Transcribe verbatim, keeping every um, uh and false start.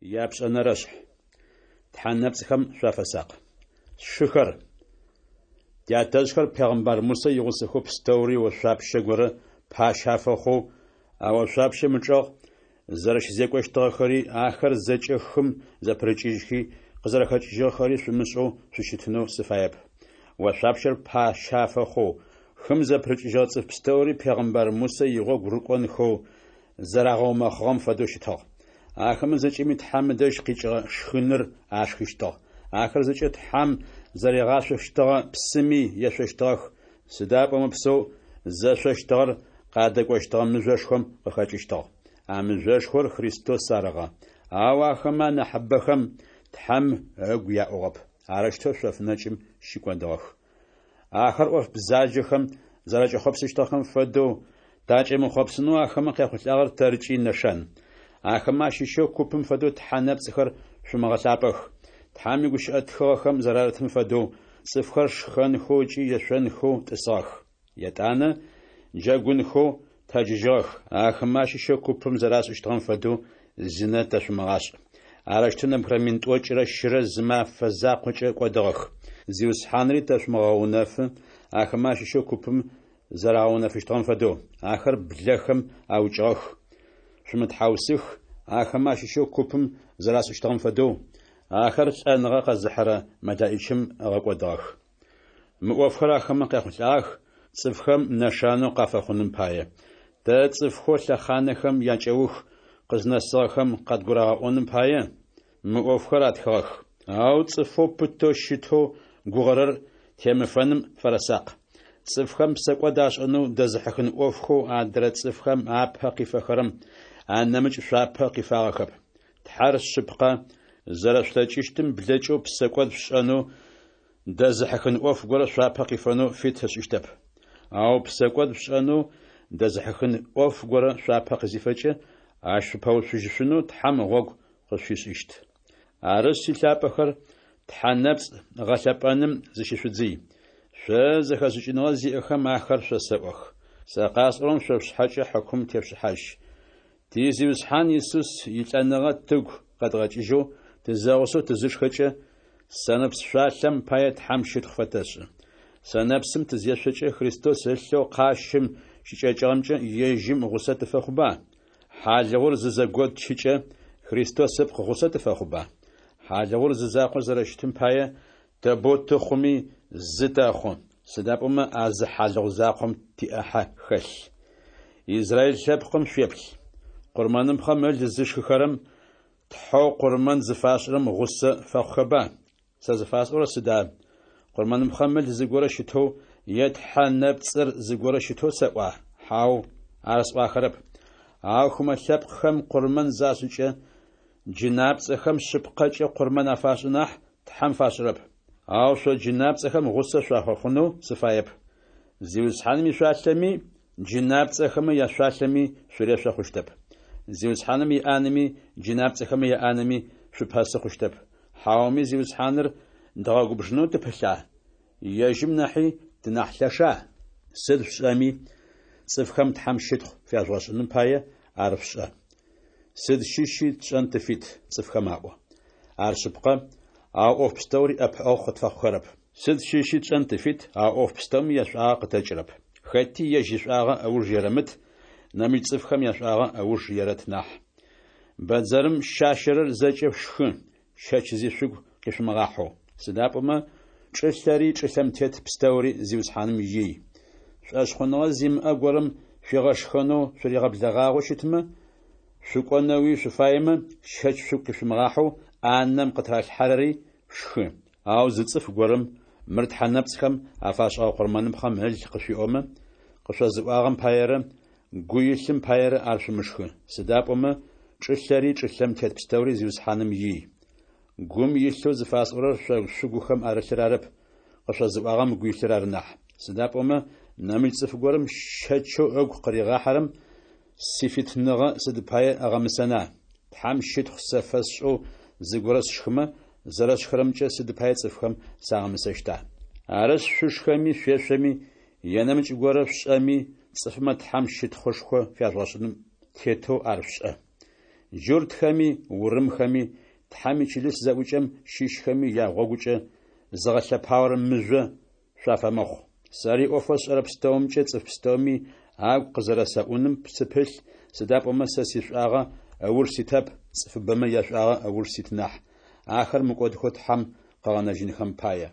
Япшӏэнэрэшъхь. Тхьэ нэпцӏхэм шъуафэсакъ. Сшыхэр, тятэжъхэр пегъымбар Мусэ игъусэхэу пстэури ошъуапщэ горэ пащэ афэхъоу, а ошъуапщэм ычӏэгъ зэрэщызекӏощтыгъэхэри, ахэр зэкӏэ хым зэпырыкӏыжьхи къызэрэхэкӏыжьыгъэхэри шъумышӏэу шъущытынэу сыфаеп. Ошъуапщэр пащэ афэхъоу, хым зэпырыкӏыжьыгъэ цӏыф пстэури пегъымбар Мусэ игъогу рыкӏонхэу зэрагъэумэхъыгъэм фэдэу щытыгъ. Ахэмэ зэкӏэми Тхьэм ыдэжь къикӏыгъэ шхыныр ашхыщтыгъ. Ахэр зэкӏэ Тхьэм зэригъашъощтыгъэ псыми ешъощтыгъэх, сыда пӏомэ псэу зэшъощтыгъэр къадэкӏощтыгъэ мыжъошхом къыхэкӏыщтыгъ. А мыжъошхор Христос арыгъэ. Ау ахэмэ анахьыбэхэм Тхьэм ыгу яӏугъэп, арэущтэу шъоф нэкӏым щыкӏодыгъэх. Ахэр ӏоф бзаджэхэм зэракӏэхъопсыщтыгъэхэм фэдэу такӏэмыхъопсынэу ахэмэ къяхъулӏагъэр тэркӏи нэшан. Ахэмэ ащыщэу купым фэдэу тхьэ нэпцӏхэр шъумыгъэлъапӏэх. Тхьэм игущыӏэ тхыгъэхэм зэрарытым фэдэу, цӏыфхэр шхэнхэу ыкӏи ешъонхэу тӏысыгъэх. Етӏанэ джэгунхэу тэджыжьыгъэх. Ахэмэ ащыщэу купым зэрашӏыщтыгъэм фэдэу зинэ тэшъумыгъашӏ. Арэущтэу нэбгырэ мин тӏокӏырэ щырэ зы мэфэ закъокӏэ кӏодыгъэх. Зиусхьанри тэшъумыгъэунэфы, ахэмэ ащыщэу купым зэрагъэунэфыщтыгъэм фэдэу. Ахэр блэхэм аукӏыгъэх. Шъумытхьаусых, ахэмэ ащыщэу купым зэрашӏыщтыгъэм фэдэу, ахэр лӏэныгъэ къэзыхьырэ мэлэӏичым ыгъэкӏодыгъэх. Мы ӏофхэр ахэмэ къяхъулӏагъэх, цӏыфхэм нэшанэу къафэхъуным пае. Тэ цӏыфхэу лъэхъанэхэм якӏэух къызнэсыгъэхэм къадгурагъэӏоным пае, мы ӏофхэр атхыгъэх. Ау цӏыфэу пытэу щытэу гугъэрэр темыфэным фэрэсакъ. Цӏыфхэм псэкӏод ашӏэнэу дэзыхьыхын ӏофхэу адрэ цӏыфхэм апэ къифэхэрэм анэмыкӏ шъуапэ къифагъэхэп. Тхьэр шъыпкъэ, зэрэшъулъэкӏыщтым блэкӏэу псэкӏод шъушӏэнэу дэзыхьыхын ӏоф горэ шъуапэ къифэнэу фит ышӏыщтэп. Ау псэкӏод шъушӏэнэу дэзыхьыхын ӏоф горэ шъуапэ къызифэкӏэ, ащ шъупэуцужьышъунэу Тхьэм гъогу къышъуфишӏыщт. Арышъ, силъапӏэхэр, тхьэ нэпцӏ гъэлъэпӏэным зыщышъудзый. Шъо зэхэшӏыкӏыныгъэ зиӏэхэм ахэр шъосэӏох. Сэ къасӏорэм шъо шъушъхьэкӏэ хьыкум тешъушӏыхьажь. Ти Зиусхьан Исус илӏэныгъэ тыгу къэдгъэкӏыжьэу тызэгъусэу тызышхэкӏэ, сэнэпс шъуалъэм пае Тхьэм щытхъу фэтэшӏы. Сэнэпсым тызешъокӏэ Христос ылъэу къащым щыкӏэкӏыгъэмкӏэ ежьым гъусэ тыфэхъуба? Хьалыгъур зызэготчыкӏэ Христос ыпкъ гъусэ тыфэхъуба? Хьалыгъур зы закъоу зэрэщытым пае, тэ боу тыхъуми зы тэхъу, сыда пӏомэ а зы хьалыгъу закъом тиӏахьэ хэлъ. Израиль лъэпкъым шъуеплъ. Къурмэныпхъэм ыл зышхыхэрэм тхьэу къурмэн зыфашӏырэм гъусэ фэхъухэба? Сэ зыфасӏорэр сыда? Къурмэныпхъэм ыл зыгорэ щытэу е тхьэ нэпцӏыр зыгорэ щытэу сэӏуа? Хьау, ар сӏуахэрэп. Ау хымэ лъэпкъхэм къурмэн зашӏыкӏэ, джынапцӏэхэм шъыпкъэкӏэ къурмэн афашӏы нахь, Тхьэм фашӏырэп. Ау шъо джынапцӏэхэм гъусэ шъуафэхъунэу сыфаеп. Зиусхьаным ишъуалъэми, джынапцӏэхэмэ яшъуалъэми шъурешъо хъущтэп. Зиусхьаным иӏанэми джынапцӏэхэмэ яӏанэми шъупэсы хъущтэп. Хьауми Зиусхьаныр дгъэгубжынэу тыпылъа? Ежьым нахьи тынахь лъэша? Сыд шъушӏэми, цӏыфхэм Тхьэм щытхъу фяжъугъэшӏыным пае ар шъушӏэ. Сыд щыщи тшӏэн тыфит, цӏыфхэм аӏо. Ар шъыпкъэ, ау ӏоф пстэури ӏэпыӏэгъу къытфэхъухэрэп. Сыд щыщи тшӏэн тыфит, ау ӏоф пстэуми яшӏуагъэ къытэкӏырэп. Хэти ежь ишӏуагъэ ыуж ерэмыт, нэмыкӏ цӏыфхэм яшӏуагъэ ыуж ерэт нахь. Бэдзэрым щащэрэр зэкӏэ шъушхы, щэч зи шъугу къишъумыгъахьэу. Сыда пӏомэ чӏылъэри чӏылъэм тет пстэури Зиусхьаным ий. Шӏошъхъуныгъэ зимыӏэ горэм шъуигъэшхэнэу шъуригъэблэгъагъэу щытмэ, шъукӏонэуи шъуфаемэ, щэч шъугу къишъумыгъахьэу ӏанэм къытыралъхьэрэри шъушхы. Ау зы цӏыф горэм мыр тхьэ нэпцӏхэм афашӏыгъэ къурмэныпхъэм ыл къышъуиӏомэ, къышъозыӏуагъэм паерэ, гу илъым паерэ ар шъумышхы. Сыда пӏомэ чӏылъэри чӏылъэм тет пстэури Зиусхьаным ий. Гум илъэу зыфасӏорэр шъо шъугухэм арылъыр арэп, къышъозыӏуагъэм ыгу илъыр ары нахь. Сыда пӏомэ нэмыкӏ цӏыф горэм щэчэу ыгу къыригъахьэрэм сифитыныгъэ сыд пае ыгъэмысэна? Тхьэм щытхъу сэ фэсшӏэу зыгорэ сшхымэ, зэрэсшхырэмкӏэ сыд пае цӏыфхэм сагъэмысэщта? Арышъ, шъушхэми шъуешъоми е нэмыкӏ горэ шъушӏэми, цӏыфмэ Тхьэм щытхъушхо фяжъугъэшӏыным тетэу ар шъушӏэ. Джуртхэми, урымхэми, Тхьэм ичылыс зэӏукӏэм щыщхэми ягъогукӏэ зыгъэлъэпаорэ мыжъо шъуафэмыхъу. Сэри ӏофэу сшӏэрэ пстэумкӏэ цӏыф пстэуми агу къызэрэсэӏуным сыпылъ, сыда пӏомэ сэ сишӏуагъэ ыуж ситэп, цӏыфыбэмэ яшӏуагъэ ыуж сит нахь, ахэр мыкӏодхэу Тхьэм къыгъэнэжьынхэм пае.